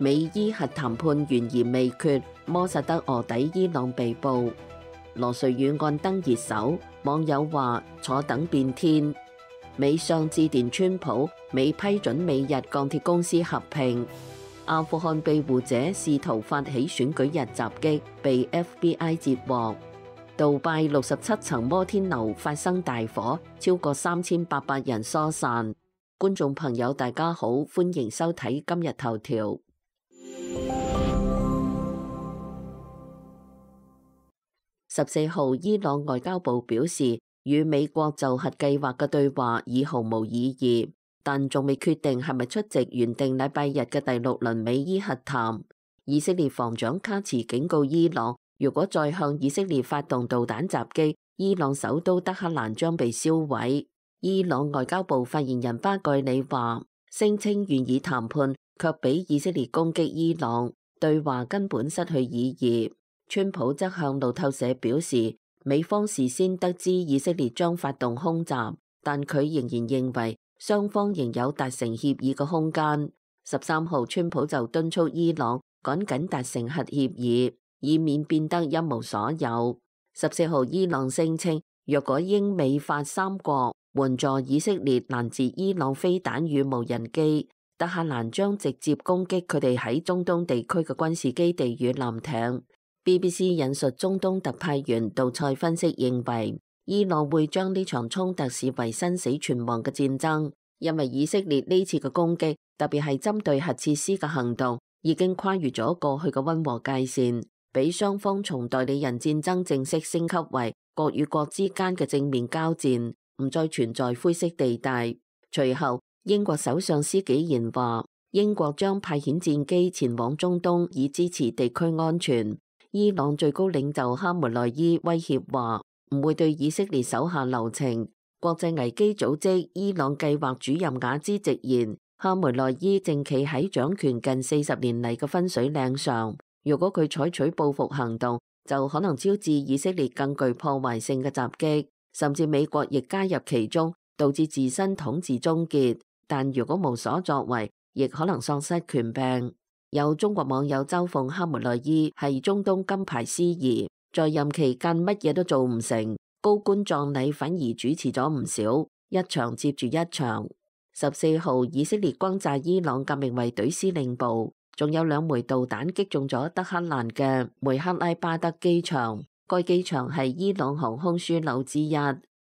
美伊核談判懸而未決，摩薩德臥底伊朗被捕。羅瑞宇案登熱搜，網友話坐等變天。美商致電川普，美批准美日鋼鐵公司合併。阿富汗庇護者試圖發起選舉日襲擊，被 FBI 截獲。杜拜67層摩天樓發生大火，超過3800人疏散。觀眾朋友大家好，歡迎收睇今日頭條。14號，伊朗外交部表示，與美國就核計劃嘅對話已毫無意義，但仲未決定係咪出席原定禮拜日嘅第6輪美伊核談。以色列防長卡茨警告伊朗，如果再向以色列發動導彈襲擊，伊朗首都德黑蘭將被燒毀。伊朗外交部發言人巴蓋里話，聲稱願意談判，卻俾以色列攻擊伊朗，對話根本失去意義。川普則向路透社表示，美方事先得知以色列將發動空襲，但佢仍然認為雙方仍有達成協議嘅空間。13號，川普就敦促伊朗趕緊達成核協議，以免變得一無所有。14號，伊朗聲稱，若果英美法三國援助以色列攔截伊朗飛彈與無人機，德黑蘭將直接攻擊佢哋喺中東地區嘅軍事基地與艦艇。BBC 引述中東特派員杜塞分析認為，伊朗會將呢場衝突視為生死存亡嘅戰爭，因為以色列呢次嘅攻擊，特別係針對核設施嘅行動，已經跨越咗過去嘅溫和界線，俾雙方從代理人戰爭正式升級為國與國之間嘅正面交戰，唔再存在灰色地帶。隨後，英國首相施紀賢話，英國將派遣戰機前往中東，以支持地區安全。伊朗最高領袖哈梅內伊威脅話，唔會對以色列手下留情。國際危機組織伊朗計劃主任雅茲直言，哈梅內伊正企喺掌權近40年嚟嘅分水嶺上，如果佢採取報復行動，就可能招致以色列更具破壞性嘅襲擊，甚至美國亦加入其中，導致自身統治終結。但如果無所作為，亦可能喪失權柄。有中國網友嘲諷哈梅內伊係中東金牌司儀，在任期間乜嘢都做唔成，高官葬禮反而主持咗唔少，一場接住一場。14號，以色列轟炸伊朗革命衛隊司令部，仲有2枚導彈擊中咗德黑蘭嘅梅克拉巴德機場。該機場係伊朗航空樞紐之一，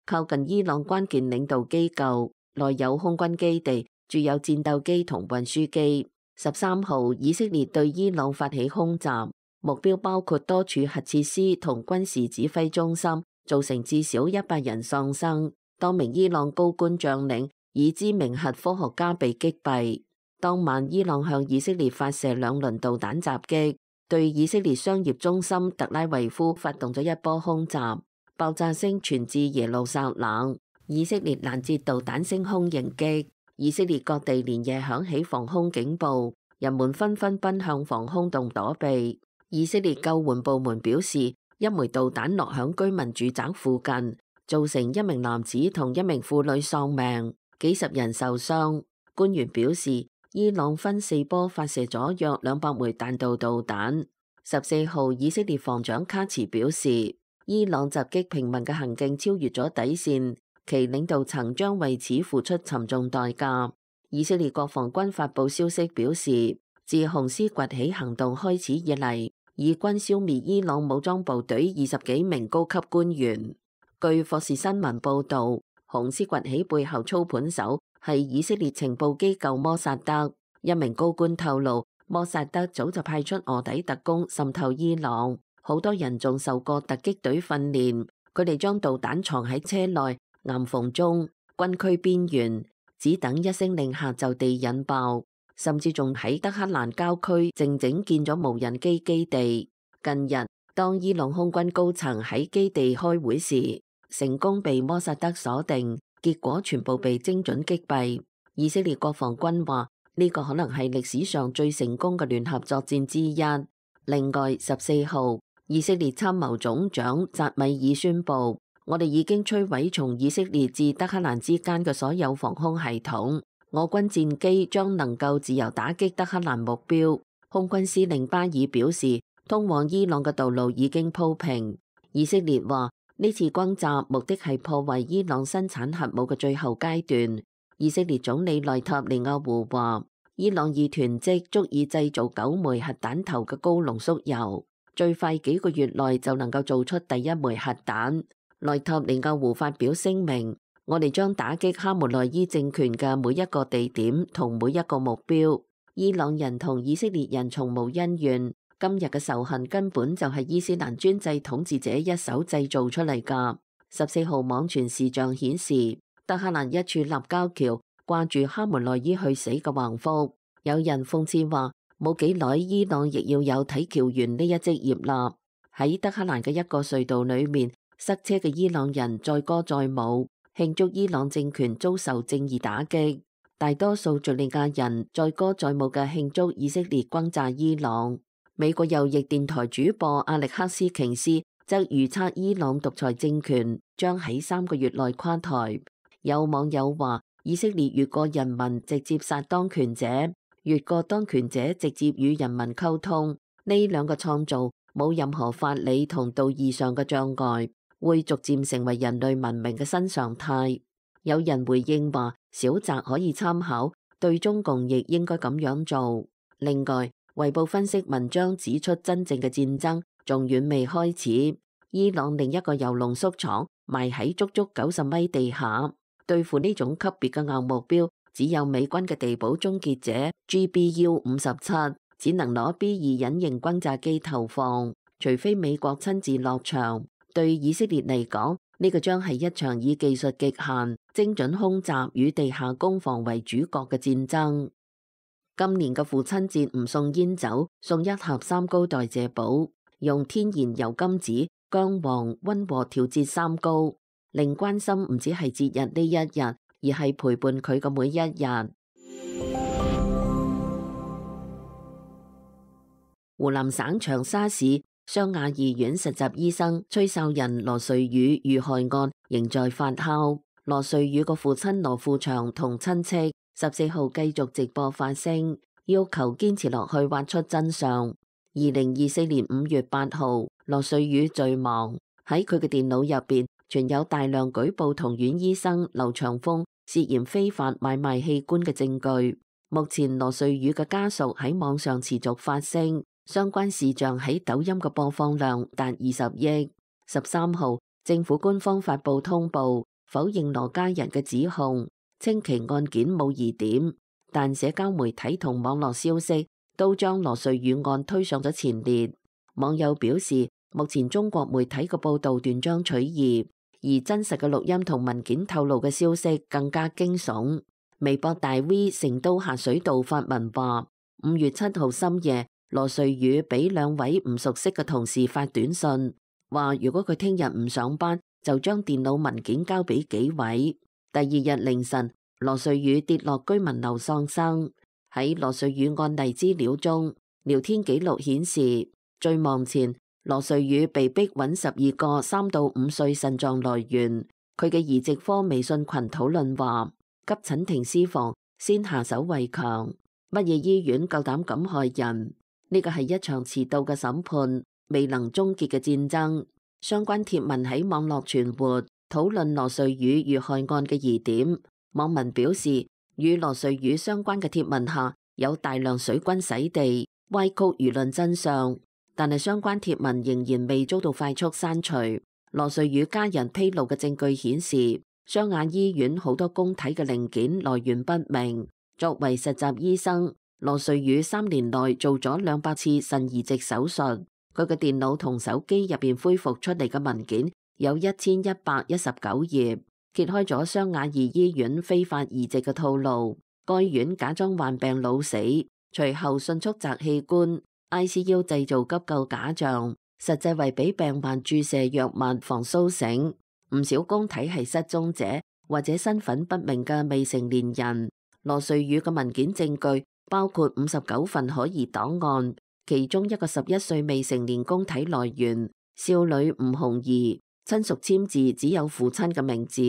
靠近伊朗關鍵領導機構，內有空軍基地，駐有戰鬥機同運輸機。13號，以色列對伊朗發起空襲，目標包括多處核設施同軍事指揮中心，造成至少100人喪生。多名伊朗高官將領以知名核科學家被擊斃。當晚，伊朗向以色列發射2輪導彈襲擊，對以色列商業中心特拉維夫發動咗一波空襲，爆炸聲傳至耶路撒冷。以色列攔截導彈升空迎擊。以色列各地連夜響起防空警報，人們紛紛奔向防空洞躲避。以色列救援部門表示，一枚導彈落響居民住宅附近，造成1名男子同1名婦女喪命，幾十人受傷。官員表示，伊朗分4波發射咗約200枚彈道導彈。14號，以色列防長卡茨表示，伊朗襲擊平民嘅行徑超越咗底線，其領導層將為此付出沉重代價。以色列國防軍發布消息表示，自紅斯崛起行動開始以嚟，以軍消滅伊朗武裝部隊20幾名高級官員。據霍士新聞報導，紅斯崛起背後操盤手係以色列情報機構摩薩德。一名高官透露，摩薩德早就派出臥底特工滲透伊朗，好多人仲受過突擊隊訓練，佢哋將導彈藏喺車內、岩縫中、軍區邊緣，只等一聲令下就地引爆，甚至仲喺德黑蘭郊區靜靜建咗無人機基地。近日，當伊朗空軍高層喺基地開會時，成功被摩薩德鎖定，結果全部被精準擊斃。以色列國防軍話呢個可能係歷史上最成功嘅聯合作戰之一。另外，14號，以色列參謀總長扎米爾宣布，我哋已經摧毀從以色列至德黑蘭之間嘅所有防空系統，我軍戰機將能夠自由打擊德黑蘭目標。空軍司令巴爾表示，通往伊朗嘅道路已經鋪平。以色列話呢次轟炸目的係破壞伊朗生產核武嘅最後階段。以色列總理內塔尼亞胡話，伊朗已囤積足以製造9枚核彈頭嘅高濃縮鈾，最快幾個月內就能夠做出第一枚核彈。內塔尼亞胡發表聲明，我哋將打擊哈梅內伊政權嘅每一個地點同每一個目標。伊朗人同以色列人從無恩怨，今日嘅仇恨根本就係伊斯蘭專制統治者一手製造出嚟㗎。14號網傳視像顯示，德黑蘭一處立交橋掛住哈梅內伊去死嘅橫幅，有人諷刺話，冇幾耐伊朗亦要有睇橋員呢一職業啦。喺德黑蘭嘅一個隧道裏面，塞車嘅伊朗人載歌載舞，慶祝伊朗政權遭受正義打擊。大多數敘利亞人載歌載舞嘅慶祝以色列轟炸伊朗。美國右翼電台主播阿力克斯瓊斯則預測伊朗獨裁政權將喺3個月內垮台。有網友話，以色列越過人民直接殺當權者，越過當權者直接與人民溝通，呢兩個創造冇任何法理同道義上嘅障礙，會逐漸成為人類文明嘅新常態。有人回應話，小澤可以參考，對中共亦應該咁樣做。另外，衛報分析文章指出，真正嘅戰爭仲遠未開始。伊朗另一個鈾濃縮廠埋喺足足90米地下，對付呢種級別嘅硬目標，只有美軍嘅地堡終結者 GBU-57，只能攞 B2 隱形轟炸機投放，除非美國親自落場。對以色列嚟講，呢個將係一場以技術極限、精準空襲與地下攻防為主角嘅戰爭。今年嘅父親節唔送煙酒，送一盒三高代謝寶，用天然油甘子、薑黃溫和調節三高，令關心唔止係節日呢一日，而係陪伴佢嘅每一日。湖南省長沙市湘雅醫院實習醫生崔秀仁羅瑞宇遇害案仍在發酵。羅瑞宇個父親羅富祥同親戚14號繼續直播發聲，要求堅持落去挖出真相。2024年5月8號，羅瑞宇墜亡，喺佢嘅電腦入邊存有大量舉報同院醫生劉長峰涉嫌非法買賣器官嘅證據。目前羅瑞宇嘅家屬喺網上持續發聲。相關視像喺抖音嘅播放量達20億。13號，政府官方發布通報，否認羅家人嘅指控，稱其案件冇疑點，但社交媒體同網絡消息都將羅瑞宇案推上咗前列。網友表示，目前中國媒體嘅報道斷章取義，而真實嘅錄音同文件透露嘅消息更加驚悚。微博大 V 成都下水道發文話，5月7號深夜，羅瑞宇俾2位唔熟悉嘅同事發短信，話如果佢聽日唔上班，就將電腦文件交俾幾位。第2日凌晨，羅瑞宇跌落居民樓喪生。喺羅瑞宇案例資料中，聊天記錄顯示，墜亡前羅瑞宇被逼揾12個3到5歲腎臟來源。佢嘅移植科微信群討論話，急診停屍房先下手為強，乜嘢醫院夠膽咁害人？呢個係一場遲到嘅審判，未能終結嘅戰爭。相關貼文喺網絡傳播，討論羅瑞宇遇害案嘅疑點。網民表示，與羅瑞宇相關嘅貼文下有大量水軍洗地，歪曲輿論真相。但係相關貼文仍然未遭到快速刪除。羅瑞宇家人披露嘅證據顯示，湘雅醫院好多公體嘅零件來源不明。作為實習醫生，羅瑞宇3年內做咗200次腎移植手術。佢嘅電腦同手機入邊恢復出嚟嘅文件有1119頁，揭開咗湘雅醫院非法移植嘅套路。該院假裝患病老死，隨後迅速摘器官 ，ICU 製造急救假象，實際為俾病患注射藥物防蘇醒。唔少公體係失蹤者或者身份不明嘅未成年人。羅瑞宇嘅文件證據包括59份可疑檔案，其中一個11歲未成年公體來源少女吳紅儀，親屬簽字只有父親嘅名字，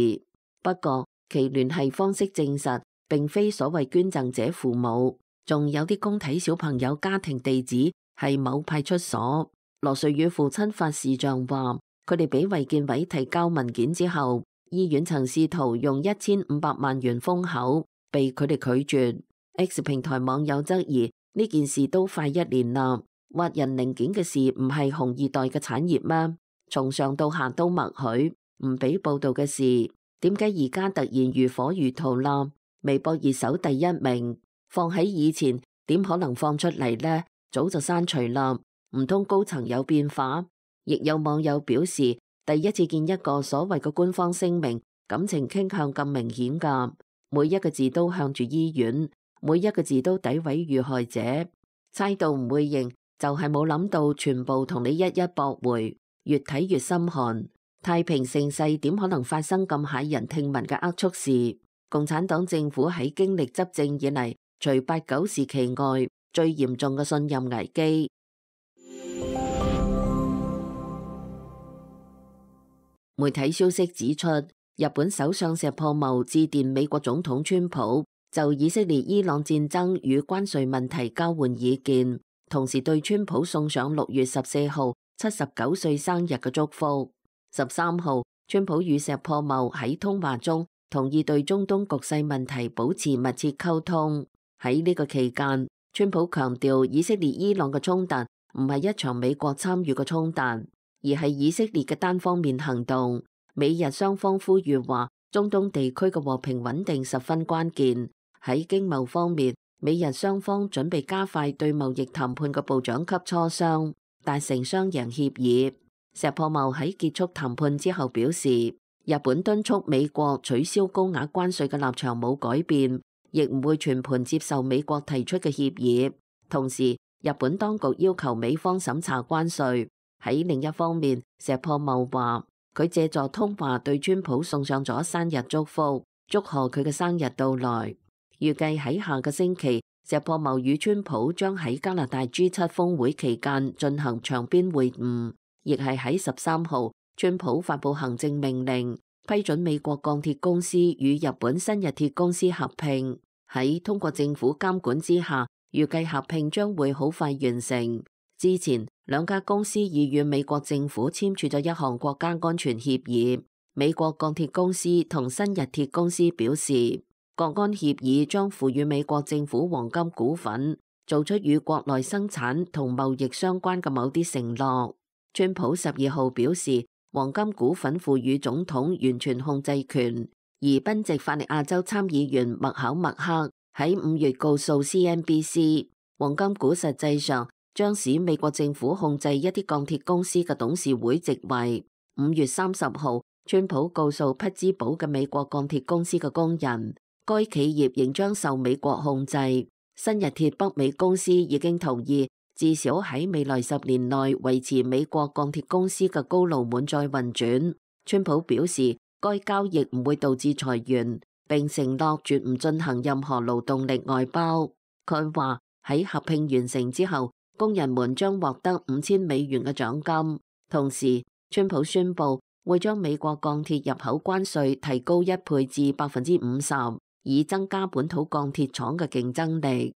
不過其聯繫方式證實並非所謂捐贈者父母。仲有啲公體小朋友家庭地址係某派出所。羅瑞宇父親法視像話，佢哋俾衛健委提交文件之後，醫院曾試圖用1500萬元封口，被佢哋拒絕。X 平台網友質疑呢件事都快1年啦，挖人零件嘅事唔係紅二代嘅產業咩？從上到下都默許，唔俾報道嘅事，點解而家突然如火如荼啦？微博熱搜第1名，放喺以前點可能放出嚟呢？早就刪除啦，唔通高層有變化？亦有網友表示，第一次見一個所謂嘅官方聲明，感情傾向咁明顯㗎，每一個字都向住醫院，每一個字都詆毀遇害者，猜到唔會認，就係冇諗到全部同你一一駁回，越睇越心寒。太平盛世點可能發生咁駭人聽聞嘅齷齪事？共產黨政府喺經歷執政以嚟，除8、9時期外，最嚴重嘅信任危機。媒體消息指出，日本首相石破茂致電美國總統川普，就以色列伊朗戰爭與關稅問題交換意見，同時對川普送上6月14號79歲生日嘅祝福。13號，川普與石破茂喺通話中同意對中東局勢問題保持密切溝通。喺呢個期間，川普強調以色列伊朗嘅衝突唔係一場美國參與嘅衝突，而係以色列嘅單方面行動。美日雙方呼籲話，中東地區嘅和平穩定十分關鍵。喺經貿方面，美日雙方準備加快對貿易談判嘅部長級磋商，達成雙贏協議。石破茂喺結束談判之後表示，日本敦促美國取消高額關稅嘅立場冇改變，亦唔會全盤接受美國提出嘅協議。同時，日本當局要求美方審查關稅。喺另一方面，石破茂話佢借助通話對川普送上咗生日祝福，祝賀佢嘅生日到來。預計喺下個星期，石破茂與川普將喺加拿大 G7 峰會期間進行場邊會晤，亦係喺13號，川普發布行政命令，批准美國鋼鐵公司與日本新日鐵公司合併。喺通過政府監管之下，預計合併將會好快完成。之前兩家公司已與美國政府簽署咗一項國家安全協議。美國鋼鐵公司同新日鐵公司表示，國安協議將賦予美國政府黃金股份，做出與國內生產同貿易相關嘅某啲承諾。川普12號表示，黃金股份賦予總統完全控制權。而賓夕法尼亞州參議員麥考默克喺5月告訴 CNBC， 黃金股實際上將使美國政府控制一啲鋼鐵公司嘅董事會席位。5月30號，川普告訴匹茲堡嘅美國鋼鐵公司嘅工人，該企業仍將受美國控制。新日鐵北美公司已經同意，至少喺未來10年內維持美國鋼鐵公司嘅高爐滿載運轉。川普表示，該交易唔會導致裁員，並承諾絕唔進行任何勞動力外包。佢話喺合併完成之後，工人們將獲得$5000嘅獎金。同時，川普宣布會將美國鋼鐵入口關稅提高1倍至50%，以增加本土鋼鐵廠嘅競爭力。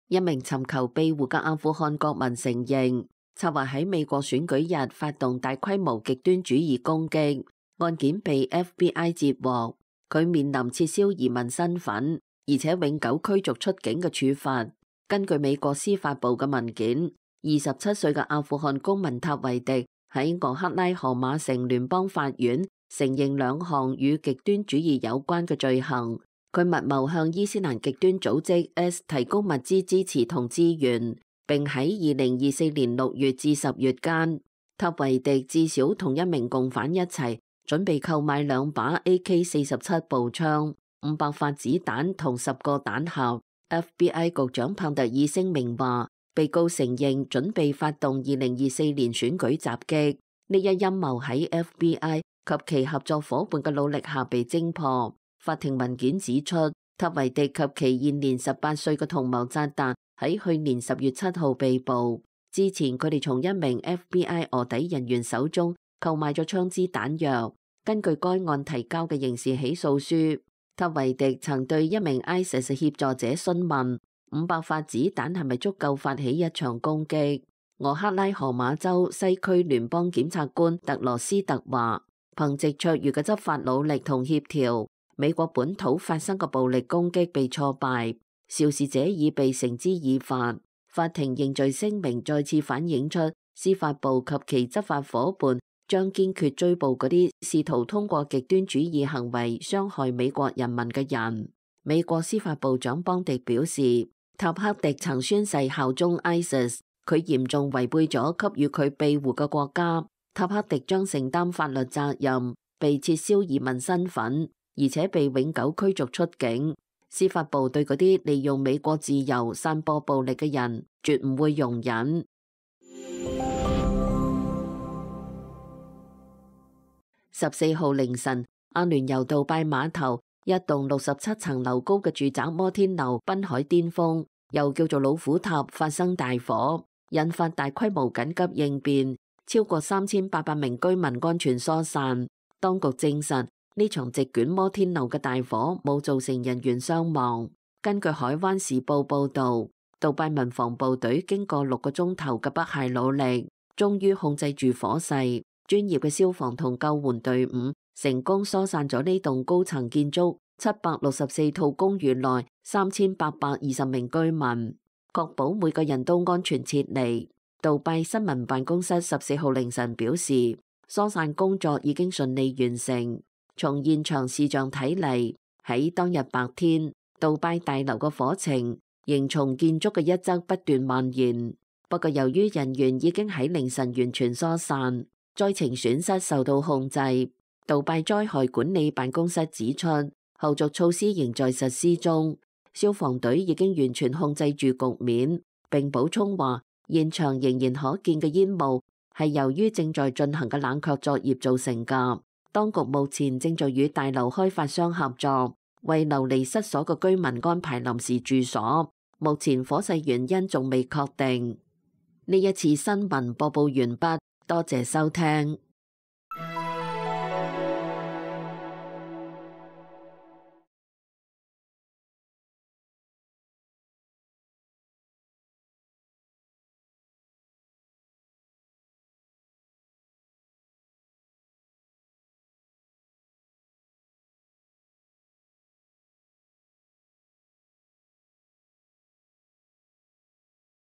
一名尋求庇護嘅阿富汗國民承認，策劃喺美國選舉日發動大規模極端主義攻擊，案件被 FBI 截獲，佢面臨撤銷移民身份，而且永久驅逐出境嘅處罰。根據美國司法部嘅文件，27歲嘅阿富汗公民塔維迪喺俄克拉荷馬城聯邦法院承認2項與極端主義有關嘅罪行。佢密謀向伊斯蘭極端組織 S 提供物資支持同資源，並喺2024年6月至10月間，塔維迪至少同一名共犯一齊準備購買2把 AK-47步槍、500發子彈同10個彈盒。FBI 局長帕特爾聲明話，被告承認準備發動2024年選舉襲擊，呢一陰謀喺 FBI 及其合作夥伴嘅努力下被偵破。法庭文件指出，塔維迪及其現年18歲嘅同謀扎達喺去年10月7號被捕。之前佢哋從一名 FBI 臥底人員手中購買咗槍支彈藥。根據該案提交嘅刑事起訴書，塔維迪曾對一名 ISIS 協助者詢問500發子彈係咪足夠發起一場攻擊。俄克拉荷馬州西區聯邦檢察官特羅斯特話，憑藉卓越嘅執法努力同協調，美國本土發生嘅暴力攻擊被挫敗，肇事者已被繩之以法。法庭認罪聲明再次反映出司法部及其執法夥伴將堅決追捕嗰啲試圖通過極端主義行為傷害美國人民嘅人。美國司法部長邦迪表示，塔克迪曾宣誓效忠 ISIS， 佢嚴重違背咗給予佢庇護嘅國家。塔克迪將承擔法律責任，被撤銷移民身份，而且被永久驅逐出境。司法部對嗰啲利用美國自由散播暴力嘅人，絕唔會容忍。14號凌晨，阿聯酋杜拜碼頭一棟67層樓高嘅住宅摩天樓濱海巔峰，又叫做老虎塔，發生大火，引發大規模緊急應變，超過3800名居民安全疏散。當局證實，呢場席捲摩天樓嘅大火冇造成人員傷亡。根據海灣時報報導，杜拜民防部隊經過6個鐘頭嘅不懈努力，終於控制住火勢。專業嘅消防同救援隊伍成功疏散咗呢棟高層建築764套公寓內3820名居民，確保每個人都安全撤離。杜拜新聞辦公室14號凌晨表示，疏散工作已經順利完成。從現場視像睇嚟，喺當日白天，杜拜大樓嘅火情仍從建築嘅一側不斷蔓延。不過由於人員已經喺凌晨完全疏散，災情損失受到控制。杜拜災害管理辦公室指出，後續措施仍在實施中，消防隊已經完全控制住局面。並補充話，現場仍然可見嘅煙霧係由於正在進行嘅冷卻作業造成㗎。當局目前正在與大樓開發商合作，為流離失所嘅居民安排臨時住所。目前火勢原因仲未確定。呢一次新聞播報完畢，多謝收聽。